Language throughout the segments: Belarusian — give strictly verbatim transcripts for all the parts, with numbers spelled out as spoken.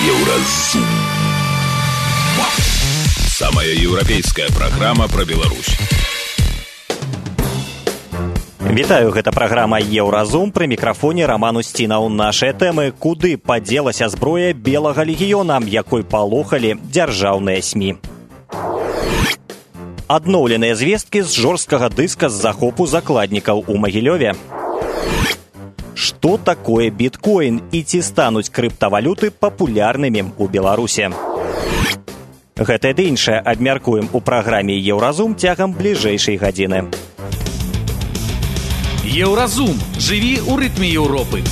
Еўразум. Самая еўрапейская праграма пра Беларусь. Вітаю, гэта праграма Еўразум, пры мікрафоне Раман Усцінаў. Нашыя тэмы: куды падзелася зброя белага легіёна, якой палохалі дзяржаўныя СМІ. Адноўленыя звесткі з жорсткага дыска з захопу закладнікаў у Магілёве. Што такое біткоін і ці стануць крыптавалюты папулярнымі ў Беларуси? Гэта ды іншае абмяркуем у праграме Еўразум цягам бліжэйшай гадзіны. Еўразум. Жыві ў рытме Еўропы.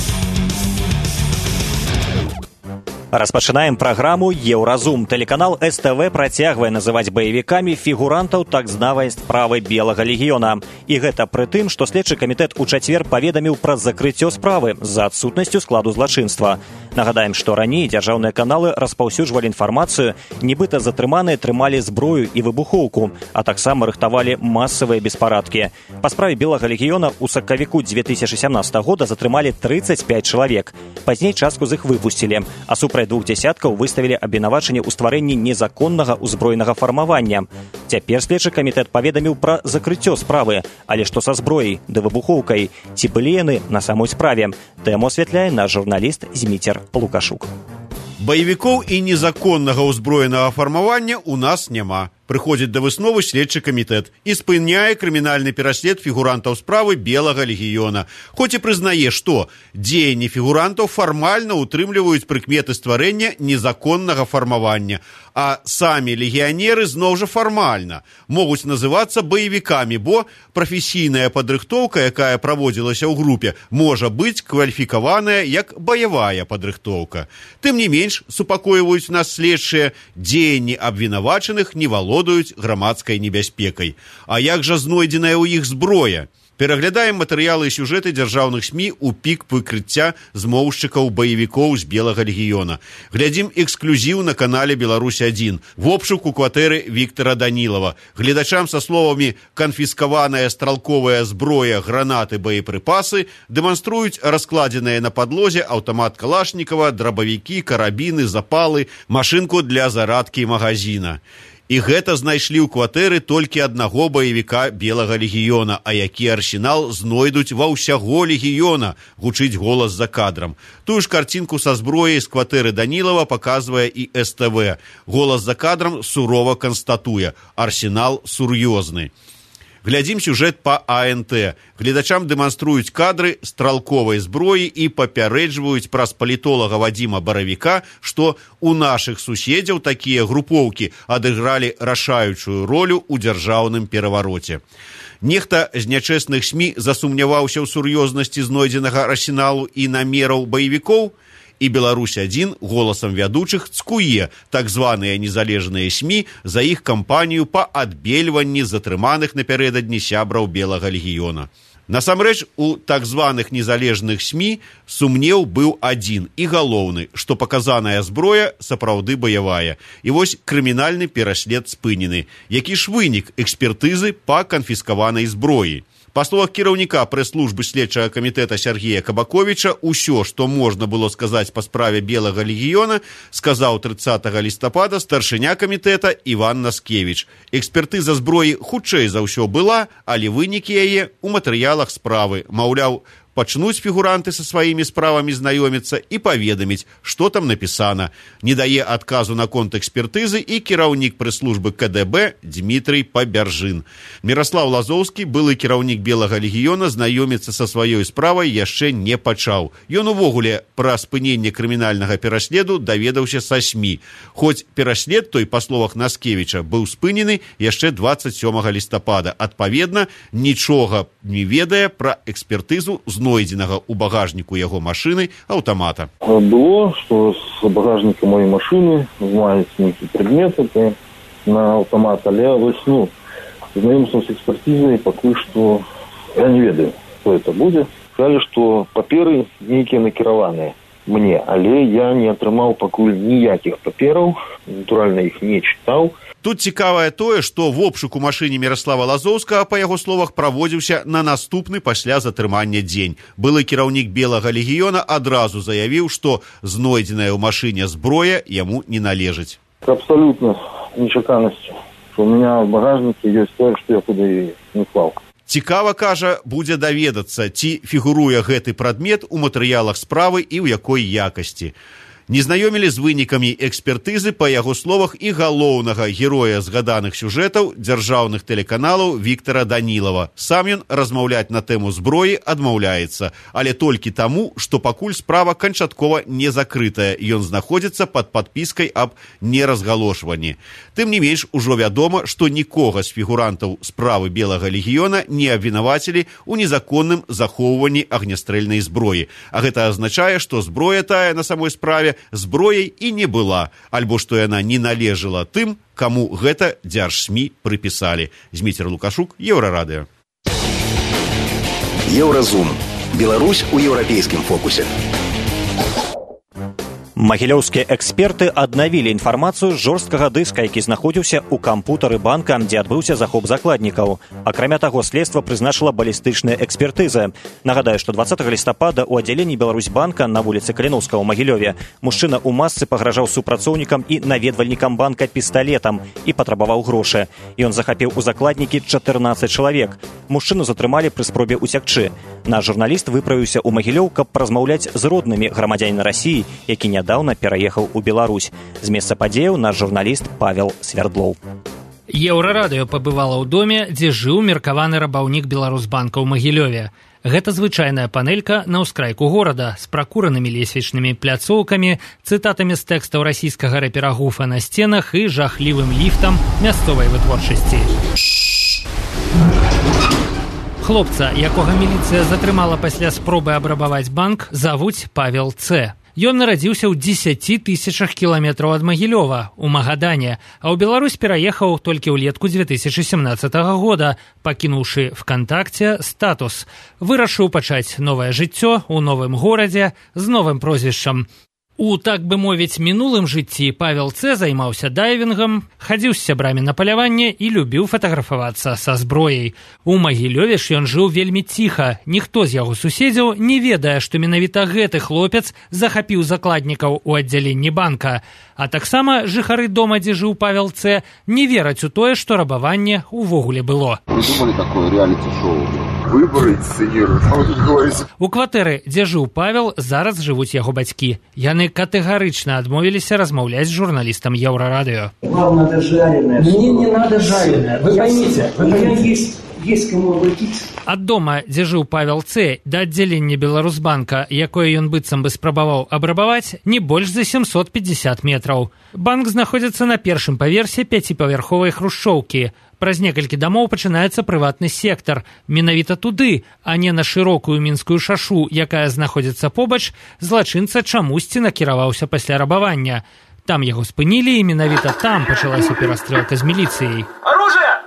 Распачынаем праграму Еўразум. Тэлеканал эс тэ вэ працягвае называць баевікамі фігурантаў так знавай справы белага легіёна. І гэта пры тым, што следчы камітэт у чацвер паведаміў пра закрыццё справы за адсутнасцю складу злачынства. Нагадаем, што раней дзяржаўныя каналы распаўсюджвалі інфармацыю, нібыта затрыманыя трымалі зброю і выбухоўку, а таксама рыхтавалі масавыя беспарадкі. Па справе белага легіёна ў сакавіку дзве тысячы сямнадцатага года затрымалі трыццаць пяць чалавек. Пазней частку з іх выпусцілі, а супраць двух дзясяткаў выставілі абвінавачанне ў стварэнні незаконнага ўзброенага фармавання. Цяпер следчы камітэт паведаміў пра закрыццё справы, але што са зброяй ды выбухоўкай? Ці былі яны на самой справе? Тэму асвятляе наш журналіст Зміцер Лукашук. Баевікоў і незаконнага ўзброенага фармавання ў нас няма. Прыходзіць да высновы следчы камітэт і спыняе крымінальны пераслед фігурантаў справы белага легіёна. Хоць і прызнае, што дзеянні фігурантаў фармальна ўтрымліваюць прыкметы стварэння незаконнага фармавання, а самі легіянеры зноў жа фармальна могуць называцца баевікамі, бо прафесійная падрыхтоўка, якая праводзілася ў групе, можа быць кваліфікаваная як баявая падрыхтоўка. Тым не менш, супакойваюць нас следчыя, дзеянні абвінавачаных не валодаюць грамадскай небяспекай. А як жа знойдзеная ў іх зброя? Пераглядаем матэрыялы і сюжэты дзяржаўных СМІ ў пік выкрыцця змоўшчыкаў баевікоў з белага легіёна. Глядзім эксклюзіў на канале Беларусь адзін. В обшук у кватэры Віктара Данілава. Гледачам са словамі «канфіскаваная стралковая зброя, гранаты, боепрыпасы» дэманструюць раскладзеныя на падлозе аўтамат Калашнікава, драбавікі, карабіны, запалы, машынку для зарадкі магазина. І гэта знайшлі ў кватэры толькі аднаго баевіка белага легіёна, а які арсенал знойдуць ва ўсяго легіёна, гучыць голас за кадрам. Тую ж карцінку са зброяй з кватэры Данілава паказвае і эс тэ вэ. Голас за кадрам сурова канстатуе: арсенал сур'ёзны. Глядзім сюжэт па а эн тэ. Гледачам дэманструюць кадры стралковай зброі і папярэджваюць праз палітолага Вадзіма Баравіка, што у нашых суседзяў такія групоўкі адыгралі рашаючую ролю ў дзяржаўным перавароце. Нехта з нячэсных СМІ засумняваўся ў сур'ёзнасці знойдзенага арсеналу і намераў баевікоў, і Беларусь адзін голасам вядучых цкуе так званыя незалежныя СМІ за іх кампанію па адбельванні затрыманых напярэдадні сябраў белага легіёна. Насамрэч, у так званых незалежных СМІ сумнеў быў адзін і галоўны, што паказаная зброя сапраўды баявая. І вось крымінальны пераслед спынены. Які ж вынік экспертызы па канфіскаванай зброі? Па словах кіраўніка прэс-службы следчага камітэта Сергея Кабаковіча, усё, што можна было сказаць па справе белага легіёна, сказаў трыццатага лістапада старшыня камітэта Іван Наскевіч. Экспертыза зброі хутчэй за ўсё была, але вынікі яе ў матэрыялах справы. Маўляў, пачнуць фігуранты са сваімі справамі знаёміцца і паведаміць, што там напісана. Не дае адказу наконт экспертызы і кіраўнік прэс-службы ка дэ бэ Дмітрый Пабяржын. Міраслаў Лазоўскі, былы кіраўнік белага легіёна, знаёміцца са сваёй справай яшчэ не пачаў. Ён увогуле пра спыненне крымінальнага пераследу даведаўся са СМІ. Хоць пераслед той, па словах Наскевіча, быў спынены яшчэ дваццаць сёмага лістапада. Адпаведна, нічога не ведае пра экспертызу знойдзенага ў багажніку яго машыны аўтамата. Было, што з багажніка моей машыны знаюць нейкі прадметы на аўтамат, але вось, ну, знаёмства з экспертызай пакуль што я не ведаю, што это будзе. Сказалі, што паперы нейкія накіраваныя. мне, але я не атрымаў пакуль ніякіх папераў, натуральна іх не чытаў. Тут цікавае тое, што в обшук у машыне Міраслава Лазоўскага, па яго словах, праводзіўся на наступны пасля затрымання дзень. Былы кіраўнік Белага легіёна адразу заявіў, што знойдзеная ў машыне зброя яму не належыць. Абсолютно нечаканасць. У меня в багажнике ёсць тое, што я туды не клаў. Цікава, кажа, будзе даведацца, ці фігуруе гэты прадмет у матэрыялах справы і ў якой якасці. Не знаёмілі з вынікамі экспертызы, па яго словах, і галоўнага героя згаданых сюжэтаў дзяржаўных тэлеканалаў Віктара Данілава. Сам ён размаўляць на тэму зброі адмаўляецца, але толькі таму, што пакуль справа канчаткова не закрытая, ён знаходзіцца пад падпіскай аб неразгалошванні. Тым не менш, ужо вядома, што нікога з фігурантаў справы Белага легіёна не абвінавацілі ў незаконным захоўванні агнястрэльнай зброі. А гэта азначае, што зброя тая на самой справе зброяй і не была, альбо што яна не належала тым, каму гэта дзяржсмі прыпісалі. Зміцер Лукашук, Еўрарадыё. Еўразум. Беларусь у еўрапейскім фокусе. Магілёўскія эксперты аднавілі інфармацыю з жорсткага дыска, які знаходзіўся ў кампутары банка, дзе адбыўся захоп закладнікаў. Акрамя таго, следства прызначыла балістычныя экспертызы. Нагадаю, што дваццатага лістапада ў аддзяленні Беларусьбанка на вуліцы Каліноўскага ў Магілёве мужчына ў масцы пагражаў супрацоўнікам і наведвальнікам банка пісталетам і патрабаваў грошы. Ён захапіў у закладнікі чатырнаццаць чалавек. Мужчыну затрымалі пры спробе уцякчы. Наш журналіст выправіўся ў Магілёў, каб паразмаўляць з роднымі грамадзяніна Расіі, які нядаўна пераехаў у Беларусь. З месца падзеяў наш журналіст Павел Свердлоў. Еўрарадыё пабывала ў доме, дзе жыў меркаваны рабаўнік Беларусьбанка ў Магілёве. Гэта звычайная панелька на ўскрайку горада з пракуранымі лесвічнымі пляцоўкамі, цытатамі з тэкстаў расійскага рэпера Гуфа на сценах і жахлівым ліфтам мясцовай вытворчасці. Хлопца, якога міліцыя затрымала пасля спробы абрабаваць банк, завуць Павел Ц. Ён нарадзіўся ў дзесяці тысячах кіламетраў ад Магілёва, у Магадане, а ў Беларусь пераехаў толькі ўлетку дзве тысячы сямнаццатага года, пакінуўшы ВКонтакце статус. Вырашыў пачаць новае жыццё ў новым горадзе з новым прозвішчам. У, так бы мовіць, мінулым жыцці Павел Ц. займаўся дайвінгам, хадзіў з сябрамі на паляванне і любіў фатаграфавацца са зброяй. У Магілёве ж ён жыў вельмі ціха. Ніхто з яго суседзяў не ведае, што менавіта гэты хлопец захапіў закладнікаў у аддзяленні банка. А таксама жыхары дома, дзе жыў Павел Ц., не вераць у тое, што рабаванне ўвогуле было. Придумали такое реалити-шоу. Выборы инсценируют. У кватэры, дзе жыў Павел, зараз жывуць яго бацькі. Яны катэгарычна адмовіліся размаўляць з журналістам Еўрарадыё. Вам надо жареное. Мне не надо жареное. Вы поймите, у меня есть, есть кому обратиться. Ад дома, дзе жыў Павел Ц., да аддзялення Беларусьбанка, якое ён быццам бы спрабаваў абрабаваць, не больш за сямсот пятьдесят метраў. Банк знаходзіцца на першым паверсе пяціпавярховай хрушчоўкі. Праз некалькі дамоў пачынаецца прыватны сектар. Менавіта туды, а не на шырокую мінскую шашу, якая знаходзіцца побач, злачынца чамусьці накіраваўся пасля рабавання. Там яго спынілі, і менавіта там пачалася перастрэлка з міліцыяй. Оружие!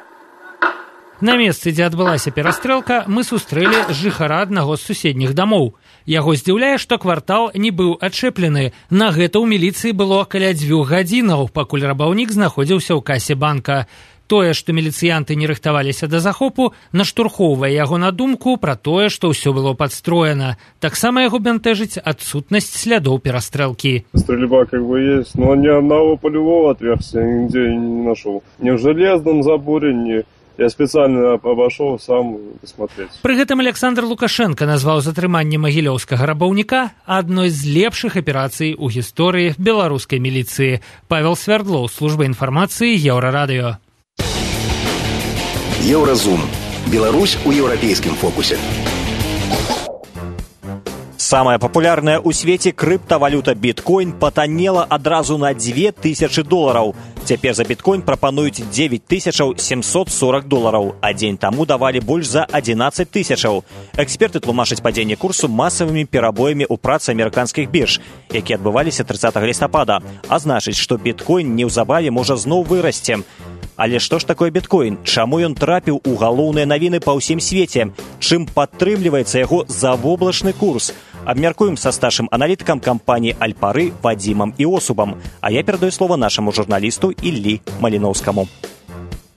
На месцы, дзе адбылася перастрэлка, мы сустрэлі жыхара аднаго з суседніх дамоў. Яго здзіўляе, што квартал не быў адчэплены. На гэта ў міліцыі было каля дзвюх гадзінаў, пакуль рабаўнік знаходзіўся ў касе банка. Тое, што міліцыянты не рыхтаваліся да захопу, наштурхоўвае яго на думку пра тое, што ўсё было падстроена. Таксама яго бянтэжыць адсутнасць слядоў перастрэлкі. Стрельба как бы есть, но ни одного полевого отверстия нигде не нашел. Ни в железном заборе, ни... Я специально обошел сам посмотреть. Пры гэтым Александр Лукашенко назваў затрыманне магілёўскага рабаўніка адной з лепшых аперацый у гісторыі беларускай міліцыі. Павел Свердлоў, служба інфармацыі, Еўрарадыё. Еўразум. Беларусь у еўрапейскім фокусе. Самая папулярная ў свеце крыптавалюта біткоін патаннела адразу на дзве тысячы долараў. Цяпер за біткоін прапануюць дзевяць тысяч сямсот сорок долараў, а дзень таму давалі больш за адзінаццаць тысячаў. Эксперты тлумачаць падзенне курсу масавымі перабоямі ў працы амерыканскіх бірж, якія адбываліся трыццатага лістапада, а значыць, што біткоін неўзабаве можа зноў вырасці. Але што ж такое біткоін? Чаму ён трапіў у галоўныя навіны па ўсім свеце? Чым падтрымліваецца яго завоблачны курс? Абмяркуем са старшым аналітыкам кампаніі «Альпары» Вадзімам Іосупам. А я перадаю слово нашаму журналісту Іллі Маліноўскаму.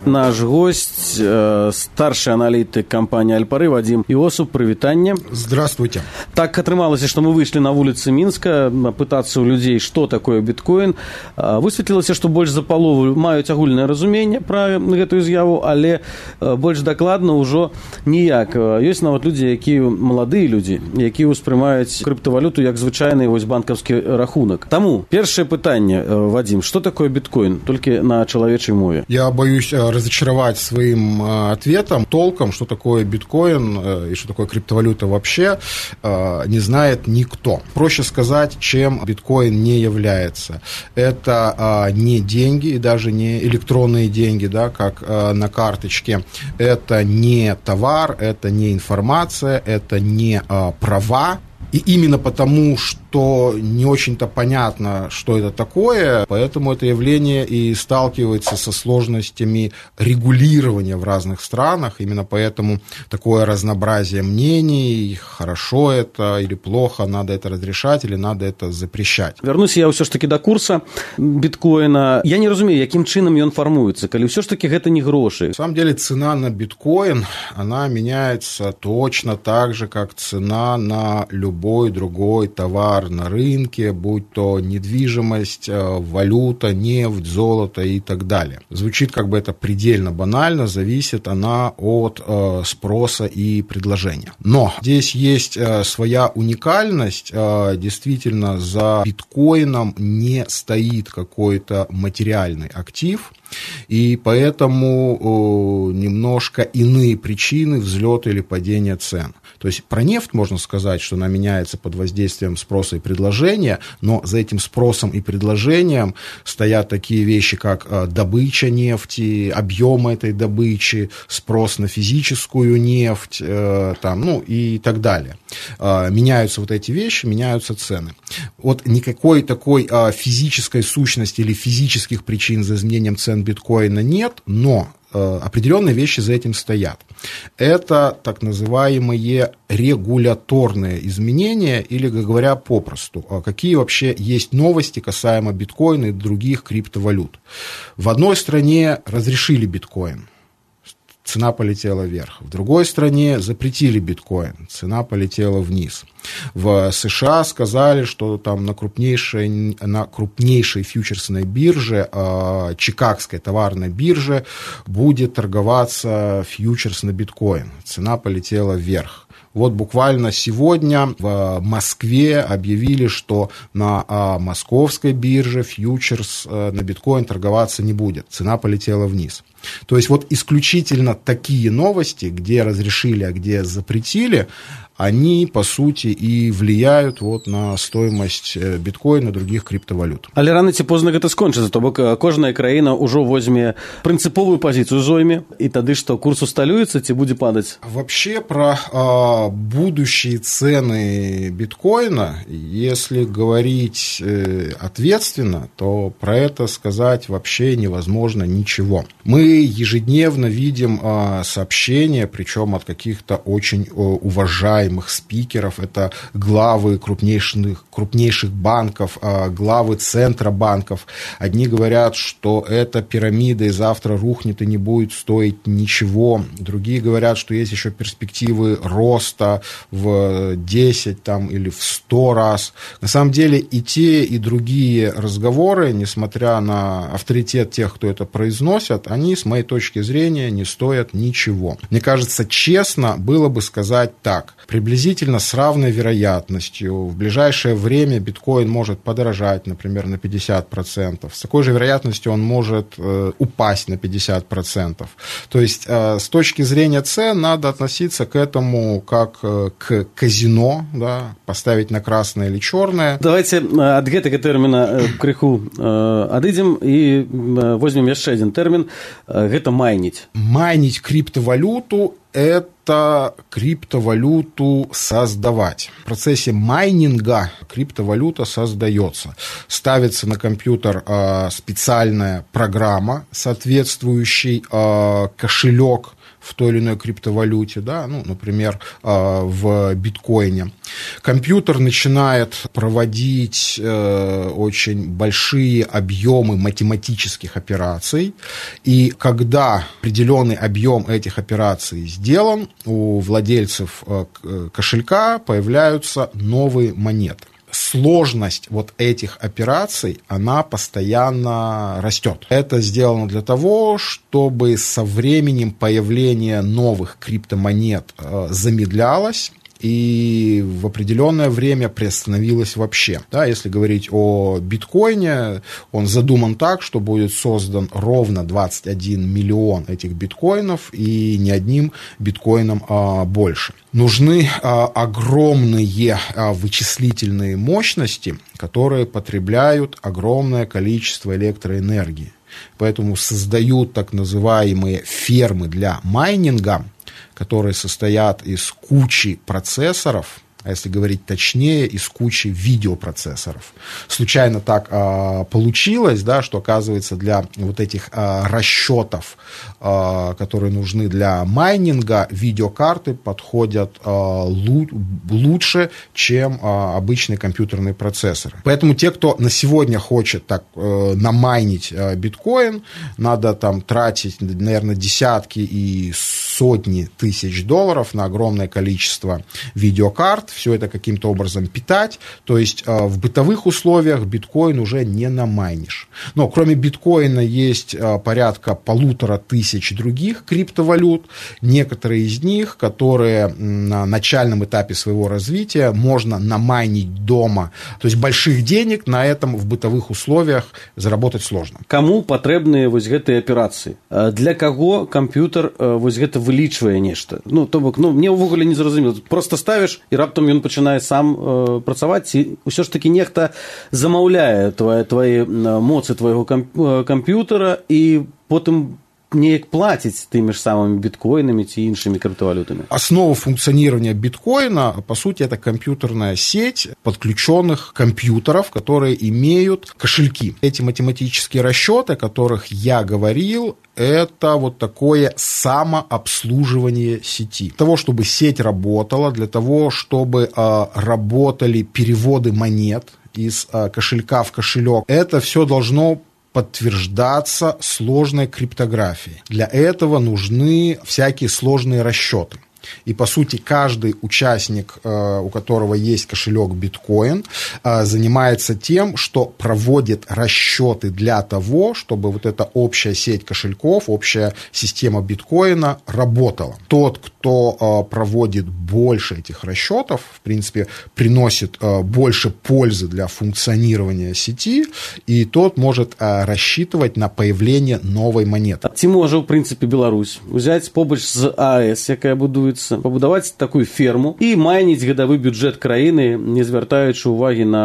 Наш гость, э, старший аналитик компании «Альпары» Вадим Иосуп. Привитание. Здравствуйте. Так атрымалось, что мы вышли на улицы Минска пытаться у людей, что такое биткоин. Высветлилось, что больше за полову маюць агульнае разуменне про эту изъяву, але больше докладно уже ніяк. Есть нават люди, якія молодые люди, якія успрымаюць криптовалюту як звычайны вось банковский рахунок. Тому первое питание, Вадим, что такое биткоин? Только на человечей мове. Я боюсь разочаровать своим ответом. Толком, что такое биткоин и что такое криптовалюта вообще, не знает никто. Проще сказать, чем биткоин не является. Это не деньги и даже не электронные деньги, да, как на карточке. Это не товар, это не информация, это не права. И именно потому, что не очень-то понятно, что это такое, поэтому это явление и сталкивается со сложностями регулирования в разных странах. Именно поэтому такое разнообразие мнений, хорошо это или плохо, надо это разрешать или надо это запрещать. Вернусь я все ж таки до курса биткоина. Я не разумею, яким чином он формуется, коли все ж таки это не гроши. На самом деле цена на биткоин, она меняется точно так же, как цена на любой любой другой товар на рынке, будь то недвижимость, валюта, нефть, золото и так далее. Звучит как бы это предельно банально, зависит она от э, спроса и предложения. Но здесь есть э, своя уникальность. Э, действительно, за биткоином не стоит какой-то материальный актив, и поэтому э, немножко иные причины взлета или падения цен. То есть про нефть можно сказать, что она меняется под воздействием спроса и предложения, но за этим спросом и предложением стоят такие вещи, как э, добыча нефти, объемы этой добычи, спрос на физическую нефть, э, там, ну и так далее. Э, меняются вот эти вещи, меняются цены. Вот никакой такой э, физической сущности или физических причин за изменением цен биткоина нет, но э, определенные вещи за этим стоят. Это так называемые регуляторные изменения, или, говоря попросту, какие вообще есть новости касаемо биткоина и других криптовалют. В одной стране разрешили биткоин, цена полетела вверх. В другой стране запретили биткоин, цена полетела вниз. В США сказали, что там на крупнейшей, на крупнейшей фьючерсной бирже, э, Чикагской товарной бирже, будет торговаться фьючерс на биткоин. Цена полетела вверх. Вот буквально сегодня в Москве объявили, что на а, московской бирже фьючерс а, на биткоин торговаться не будет. Цена полетела вниз. То есть вот исключительно такие новости, где разрешили, а где запретили, они, по сути, и влияют вот на стоимость биткоина и других криптовалют. Але рано ці позна гэта скончыцца, то бок кожная краіна ўжо возьме прынцыповую пазіцыю зойме, і тады што курс усталюецца ці будзе падаць? Вообще про а, будущие цены биткоина, если говорить э, ответственно, то про это сказать вообще невозможно ничего. Мы ежедневно видим а, сообщения, причем от каких-то очень о, уважаемых спикеров, это главы крупнейших, крупнейших банков, главы центробанков. Одни говорят, что эта пирамида и завтра рухнет и не будет стоить ничего. Другие говорят, что есть еще перспективы роста в десять там, или в сто раз. На самом деле и те, и другие разговоры, несмотря на авторитет тех, кто это произносят, они, с моей точки зрения, не стоят ничего. Мне кажется, честно было бы сказать так. Приблизительно с равной вероятностью в ближайшее время биткоин может подорожать, например, на пятьдесят процентов. С такой же вероятностью он может э, упасть на пятьдесят процентов. То есть э, с точки зрения цен надо относиться к этому как э, к казино, да, поставить на красное или черное. Давайте от гэтага тэрміна крыху адыдзем і возьмем яшчэ один тэрмін. Гэта майніць. Майнить криптовалюту – это криптовалюту создавать. В процессе майнинга криптовалюта создается. Ставится на компьютер э, специальная программа, соответствующий э, кошелек, в той или иной криптовалюте, да, ну, например, в биткоине. Компьютер начинает проводить очень большие объемы математических операций, и когда определенный объем этих операций сделан, у владельцев кошелька появляются новые монеты. Сложность вот этих операций, она постоянно растет. Это сделано для того, чтобы со временем появление новых криптомонет замедлялось и в определенное время приостановилось вообще. Да, если говорить о биткоине, он задуман так, что будет создан ровно двадцать один миллион этих биткоинов, и ни одним биткоином а, больше. Нужны а, огромные а, вычислительные мощности, которые потребляют огромное количество электроэнергии. Поэтому создают так называемые фермы для майнинга, которые состоят из кучи процессоров, а если говорить точнее, из кучи видеопроцессоров. Случайно так а, получилось, да, что, оказывается, для вот этих а, расчетов, а, которые нужны для майнинга, видеокарты подходят а, лу- лучше, чем а, обычные компьютерные процессоры. Поэтому те, кто на сегодня хочет так а, намайнить а, биткоин, надо там тратить, наверное, десятки и сотни тысяч долларов на огромное количество видеокарт, все это каким-то образом питать, то есть э, в бытовых условиях биткоин уже не намайнишь. Но кроме биткоина есть э, порядка полутора тысяч других криптовалют, некоторые из них, которые на начальном этапе своего развития можно намайнить дома, то есть больших денег на этом в бытовых условиях заработать сложно. Кому патрэбныя вось гэтыя аперацыі? Для каго камп'ютар вось гэта вылічвае нешта? Ну, то бок, ну, мне ўвогуле не зразумела. Просто ставіш, і раптам ён пачынае сам э, працаваць, ці ўсё ж такі нехта замаўляе твае, твае моцы твайго камп'ютара і потым неяк платіць тымі ж самымі биткоинами ці іншымі криптовалютами. Основа функционирования биткоина, по сути, это компьютерная сеть подключенных компьютеров, которые имеют кошельки. Эти математические расчеты, о которых я говорил, это вот такое самообслуживание сети. Для того, чтобы сеть работала, для того, чтобы э, работали переводы монет из э, кошелька в кошелек, это все должно подтверждаться сложной криптографией. Для этого нужны всякие сложные расчеты. И, по сути, каждый участник, у которого есть кошелек биткоин, занимается тем, что проводит расчеты для того, чтобы вот эта общая сеть кошельков, общая система биткоина работала. Тот, кто проводит больше этих расчетов, в принципе, приносит больше пользы для функционирования сети, и тот может рассчитывать на появление новой монеты. Ці можа, в принципе, Беларусь взять побач з АЭС, якая будуецца, пабудаваць такую ферму і майніць гадавы бюджэт краіны, не звяртаючы ўвагі на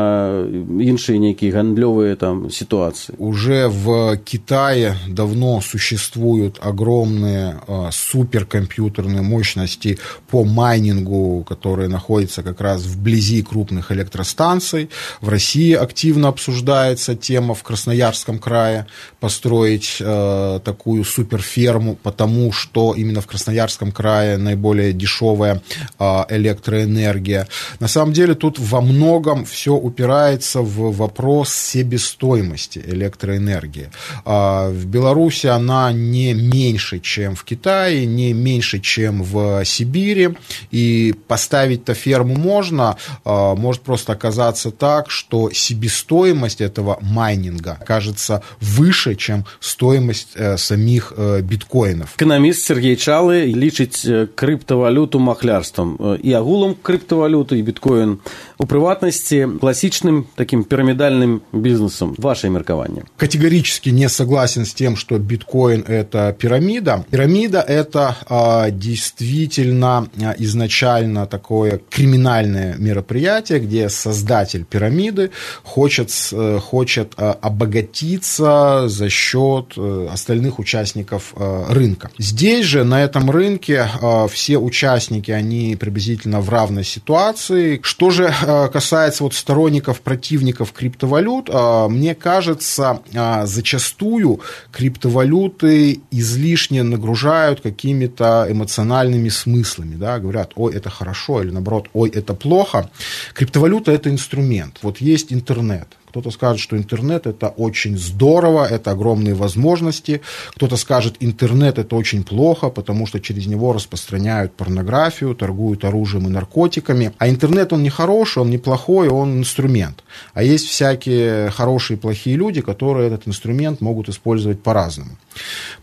іншыя нейкія гандлёвыя там ситуации. Уже в Китае давно существуют огромные э, суперкомпьютерные мощности по майнингу, которые находятся как раз вблизи крупных электростанций. В России активно обсуждается тема в Красноярском крае построить э, такую суперферму, потому что именно в Красноярском крае наиболее дешевая а, электроэнергия. На самом деле тут во многом все упирается в вопрос себестоимости электроэнергии. А, в Беларуси она не меньше, чем в Китае, не меньше, чем в Сибири. И поставить-то ферму можно, а, может просто оказаться так, что себестоимость этого майнинга окажется выше, чем стоимость э, самих э, биткоинов. Экономист Сергей Чалы лічыць крипто криптовалюту махлярством і агулам криптовалюту, і біткоін у приватности классичным таким пирамидальным бизнесом. Ваше меркование. Категорически не согласен с тем, что биткоин – это пирамида. Пирамида – это а, действительно а, изначально такое криминальное мероприятие, где создатель пирамиды хочет, а, хочет а, обогатиться за счет а, остальных участников а, рынка. Здесь же, на этом рынке, а, все участники, они приблизительно в равной ситуации. Что же касается вот сторонников, противников криптовалют, мне кажется, зачастую криптовалюты излишне нагружают какими-то эмоциональными смыслами, да, говорят, ой, это хорошо, или наоборот, ой, это плохо. Криптовалюта – это инструмент. Вот есть интернет. Кто-то скажет, что интернет – это очень здорово, это огромные возможности. Кто-то скажет, интернет – это очень плохо, потому что через него распространяют порнографию, торгуют оружием и наркотиками. А интернет, он не хороший, он не плохой, он инструмент. А есть всякие хорошие и плохие люди, которые этот инструмент могут использовать по-разному.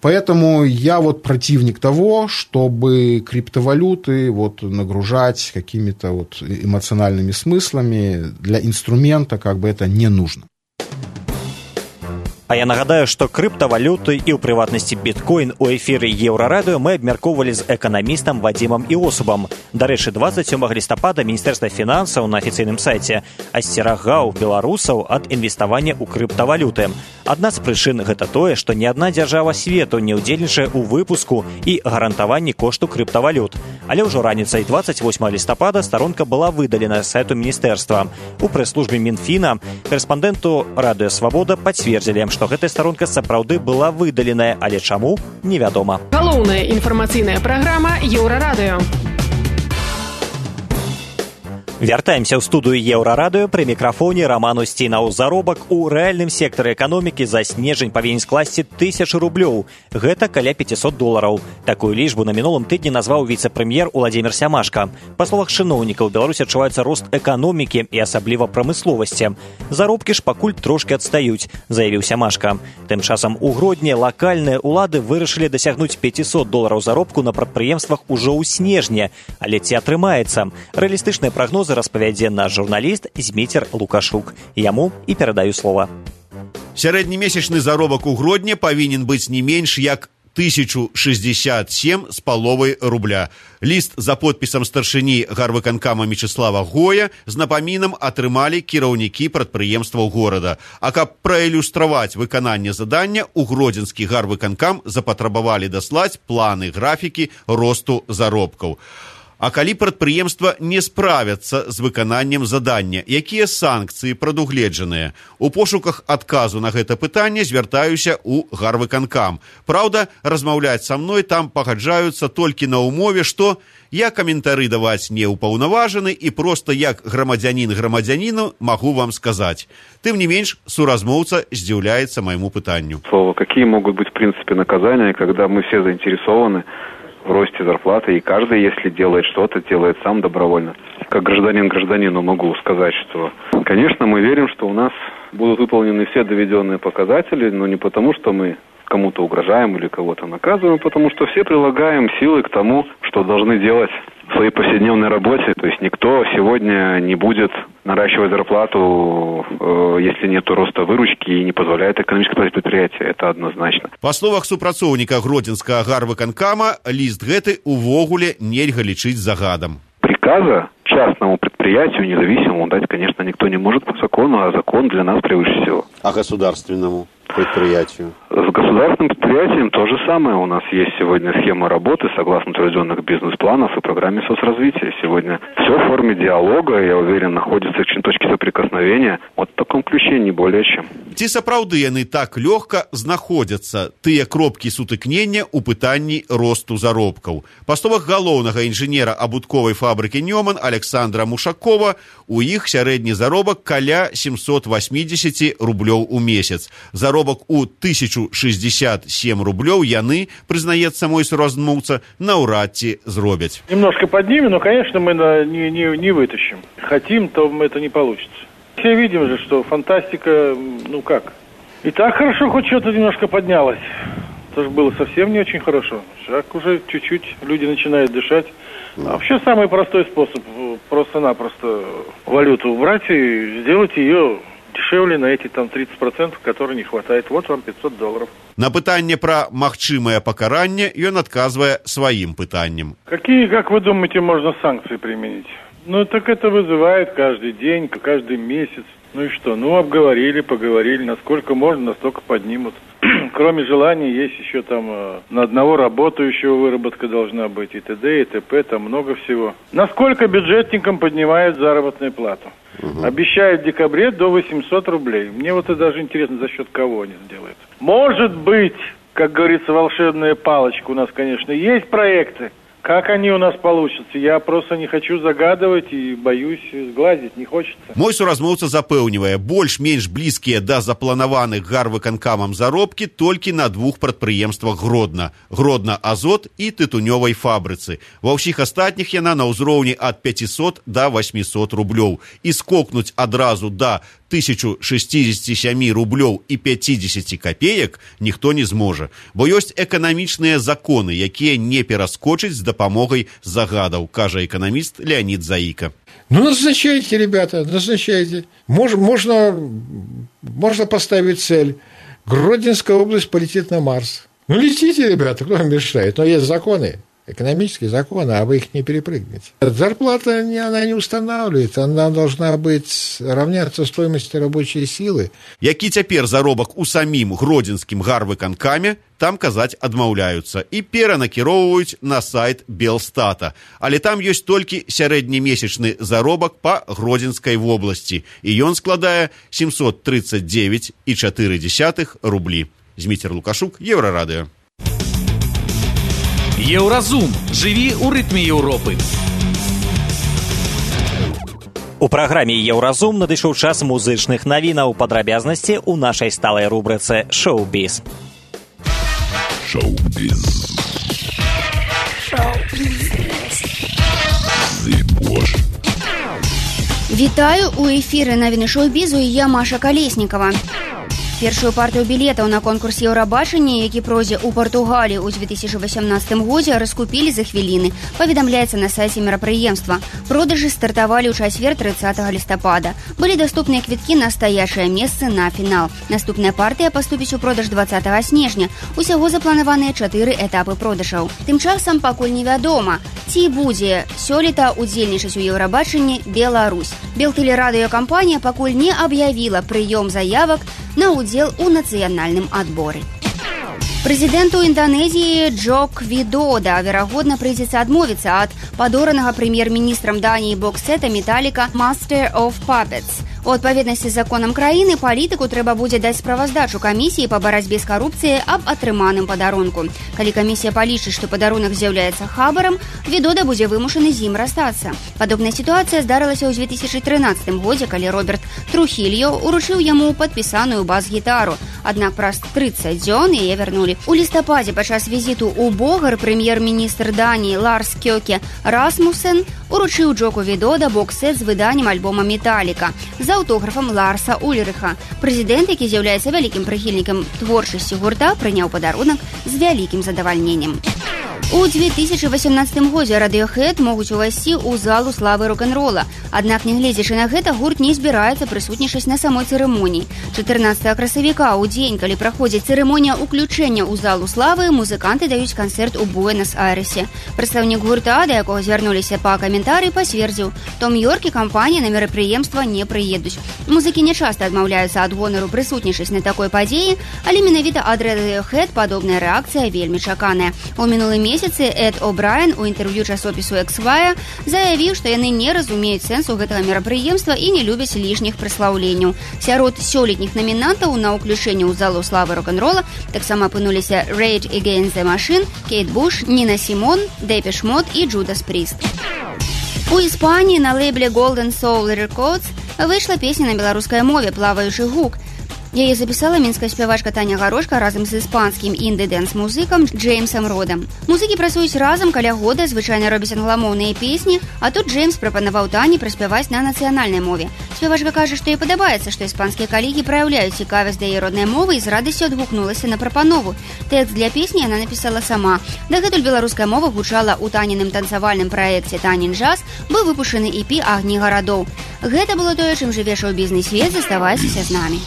Поэтому я вот противник того, чтобы криптовалюты вот нагружать какими-то вот эмоциональными смыслами. Для инструмента как бы это не нужно. А я нагадаю, што крыптавалюты і ў прыватнасці біткоін у эфіры Еўрарадыё мы абмяркоўвалі з эканамістам Вадзімам Іосубам. Дарэчы, двадцать сёмага лістапада Міністэрства фінансаў на афіцыйным сайце асцерагаў беларусаў ад інвеставання ў крыптавалюты. Адна з прычын гэта тое, што ні адна дзяржава свету не ўдзельнічае ў выпуску і гарантаванні кошту крыптавалют. Але ўжо раніцай двадцать восьмага лістапада старонка была выдалена з сайту міністэрства. У прэс-службе Мінфіна корэспандэнту Радыё Свабода пацвердзілі, што гэтая старонка сапраўды была выдаленая, але чаму, невядома. Галоўная інфармацыйная праграма Еўрарадыё. Вяртаемся ў студыю Еўрарадыё, пры мікрафоне Раман Усцінаў. Заробак у рэальным сектары эканомікі за снежань павінен скласці тысячу рублёў. Гэта каля пятьсот долараў. Такую лічбу на мінулым тыдні назваў віцэ-прэм'ер Уладзімір Сямашка. Па словах чыноўнікаў, Беларусі адчуваецца рост эканомікі і асабліва прамысловасці. Заробкі ж пакуль трошкі адстаюць, заявіў Сямашка. Тым часам у Гродні лакальныя ўлады вырашылі дасягнуць пятьсот долараў заробку на прадпрыемствах ужо ў снежні. Але ці атрымаецца? Рэалістычныя прагнозы распавядзе наш журналіст Зміцер Лукашук. Яму і перадаю слова. Сярэднемесячны заробак у Гродні павінен быць не менш як тысячу шестьдесят семь з паловай рубля. Ліст за подпісам старшыні гарвыканкама Мечыслава Гоя з напамінам атрымалі кіраўнікі прадпрыемстваў горада. А каб праілюстраваць выкананне задання, у гродзенскі гарвыканкам запатрабавалі даслаць планы графікі росту заробкаў. А калі прадпрыемства не справяцца з выкананнем задання, якія санкцыі прадугледжаныя? У пошуках адказу на гэта пытанне звяртаюся ў гарвыканкам. Праўда, размаўляць са мной там пагаджаюцца толькі на ўмове, што я каментары даваць не ўпаўнаважаны і проста як грамадзянін грамадзяніну магу вам сказаць. Тым не менш, суразмоўца здзіўляецца майму пытанню. Слово, какие могут быть в принципе наказания, когда мы все заинтересованы в росте зарплаты, и каждый, если делает что-то, делает сам добровольно. Как гражданин гражданину могу сказать, что, конечно, мы верим, что у нас будут выполнены все доведенные показатели, но не потому, что мы кому-то угрожаем или кого-то наказываем, а потому что все прилагаем силы к тому, что должны делать в своей повседневной работе. То есть никто сегодня не будет наращивать зарплату, э, если нет роста выручки и не позволяет экономическое предприятие. Это однозначно. Па словах супрацоўніка гродзенскага гарвыканкама, ліст гэты увогуле нельга лічыць загадам. Приказа частному предприятию независимому дать, конечно, никто не может по закону, а закон для нас превыше всего. А государственному предприятию? С государственным предприятием то же самое. У нас есть сегодня схема работы согласно утвержденных бизнес-планов и программе соцразвития. Сегодня все в форме диалога, я уверен, находится в точке соприкосновения. Вот в таком ключе, не более чем. Ці сапраўды яны так лёгка знаходзяцца, тыя кропкі сутыкнення ў пытанні росту заробкаў? Па словах галоўнага інжынера абутковай фабрыкі «Нёман» Александра Мушакова, у іх сярэдні заробак каля семьсот восемьдесят рублёў у месяц. Заробак у тысячу шестьдесят семь рублёў яны, прызнаецца мой суразмоўца, наўрад ці зробяць. Немножко поднимем, но, конечно, мы не, не, не вытащим. Хотим, то это не получится. Все видим же, что фантастика, ну как. И так хорошо, хоть что-то немножко поднялось. Это же было совсем не очень хорошо. Шаг уже чуть-чуть, люди начинают дышать. А вообще самый простой способ, просто-напросто валюту убрать и сделать ее дешевле на эти там тридцать процентов, которые не хватает. Вот вам пятьсот долларов. На пытанне пра магчымае пакаранне ён адказвае сваім пытаннем. Какие, как вы думаете, можно санкции применить? Ну, так это вызывает каждый день, каждый месяц. Ну и что? Ну, обговорили, поговорили. Насколько можно, настолько поднимут. кроме желания есть еще там э, на одного работающего выработка должна быть, и т.д., и т.п., там много всего. Насколько бюджетникам поднимают заработную плату? Угу. Обещают в декабре до восемьсот рублей. Мне вот это даже интересно, за счет кого они сделают. Может быть, как говорится, волшебная палочка у нас, конечно, есть проекты. Как они у нас получатся? Я просто не хочу загадывать и боюсь сглазить, не хочется. Мой суразмоўца запэўнівае, больш-менш блізкія да запланаваных гарвыканкамам заробкі толькі на двух прадпрыемствах Гродна. Гродна Азот і тытунёвай фабрыцы. Ва ўсіх астатніх яна на ўзроўні ад пяцісот да восьмісот рублёў. І скокнуць адразу да тысячу шестьдесят семь рублёў і пятьдесят копеек ніхто не зможа, бо ёсць эканамічныя законы, якія не пераскочыць з дапамогай загадаў, кажа эканаміст Леонид Заика. Ну, назначайте, ребята, назначайте. Мож, можно, можно поставить цель. Гродненская область полетит на Марс. Ну, летите, ребята, кто вам мешает? Но есть законы. Экономические законы, а вы их не перепрыгнете. Зарплата, она не устанавливается, она должна быть равняться стоимости рабочей силы. Які цяпер заробак у самім гродзенскім гарвыканкаме, там казаць адмаўляюцца і перанакіроўваюць на сайт Белстата. Але там ёсць толькі сярэднемесячны заробак па Гродзенскай вобласці, і ён складае семьсот тридцать девять и четыре десятых рублі. Зміцер Лукашук, Еўрарадыё. Еўразум. Жыві ў рытме Еўропы. У праграме «Еўразум» надышоў час музычных навінаў, падрабязнасці ў нашай сталай рубрыцы «Шоу-біз». Шоу-біз. Шоу-біз. Вітаю, у эфіры навіны шоу-бізу і я, Маша Калеснікава. Першую партыю білетаў на конкурс Еўрабачання, які пройдзе ў Партугаліі ў две тысячи восемнадцатым годзе, раскупілі за хвіліны, паведамляецца на сайце мерапрыемства. Продажы стартавалі ў чацвер тридцатого лістапада. Былі даступныя квіткі на стаячыя месцы на фінал. Наступная партыя паступіць у продаж двадцатого снежня. Усяго запланаваныя чатыры этапы продажаў. Тым часам пакуль невядома, ці будзе сёлета удзельнічаць у Еўрабачанні Беларусь. Белтэлерадыёкампанія пакуль не аб'явіла прыём заявак на удзел у нацыянальным адборы. Прэзідэнту Інданезіі Джоко Видода, верагодна, прыйдзецца адмовіцца ад падоранага прэм'ер-міністрам Даніі боксета металіка Master of Puppets. У адпаведнасці з законам краіны палітыку трэба будзе даць справаздачу камісіі па барацьбе з карупцыяй аб атрыманым падарунку. Калі камісія палічыць, што падарунак з'яўляецца хабарам, Видода будзе вымушаны з ім расстацца. Падобная сітуацыя здарылася ў две тысячи трынаццатым годзе, калі Роберт Трухільо уручыў яму падпісаную бас-гітару. Аднак праз тридцать дзён яе вярнулі. У лістападзе падчас візіту ў Богар прэм'ер-міністр Даніі Ларс Кёке Расмусен уручыў Джоко Видода боксет з выданнем альбома «Металіка» з аўтографам Ларса Ульрыха. Прэзідэнт, які з'яўляецца вялікім прыхільнікам творчасці гурта, прыняў падарунак з вялікім задавальненнем. У две тысячи восемнадцатым годзе Radiohead могуць увайсці ў залу славы рок-н-рола. Аднак, нягледзячы на гэта, гурт не збіраецца прысутнічаць на самой цырымоніі. чатырнаццатага красавіка, у дзень, калі праходзіць цырымонія ўключэння ў залу славы, музыканты даюць канцэрт у Буэнас-Айрэсе. Прадстаўнік гурта, да якога звярнуліся па каментарый, пацвердзіў: Том Йорк і кампанія на мерапрыемства не прыедуць. Музыкі нячаста адмаўляюцца ад гонару прысутнічаць на такой падзеі, але менавіта ад Radiohead падобная рэакцыя вельмі чаканая. У мінулым месяцы Эд О'Брайен у інтэрв'ю часопісу Esquire заявіў, што яны не разумеюць сэнсу гэтага мерапрыемства і не любяць лішніх праслаўленняў. Сярод сёлетніх намінантаў на ўключэнне ў залу славы рок-н-рола таксама апынуліся Rage Against the Machine, Кейт Буш, Ніна Сімон, Депеш Мод і Джудас Пріст. У Іспаніі на лейбле Golden Soul Records выйшла песня на беларускай мове «Плаваючы гук». Яе запісала мінская спявачка Таня Гарошка разам з іспанскім інды-дэнс-музыкам Джеймсам Родам. Музыкі працуюць разам каля года, звычайна робяць англамоўныя песні, а тут Джеймс прапанаваў Тані праспяваць на нацыянальнай мове. Спявачка кажа, што ёй падабаецца, што іспанскія калегі праяўляюць цікавасць да яе роднай мовы і з радасцю адгукнулася на прапанову. Тэкст для песні яна напісала сама. Дагэтуль беларуская мова гучала ў Таніным танцавальным праекце «Танін джаз», быў выпушчаны і пі «Агні гарадоў». Гэта было тое, чым жыве шоу-бізнес-свет, заставайцеся з намі.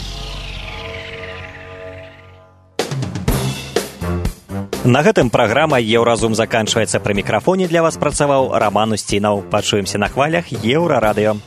На гэтым праграма «Еўразум» заканчваецца. Пры мікрафоне для вас працаваў Раман Усцінаў. Пачуемся на хвалях Еўрарадыё.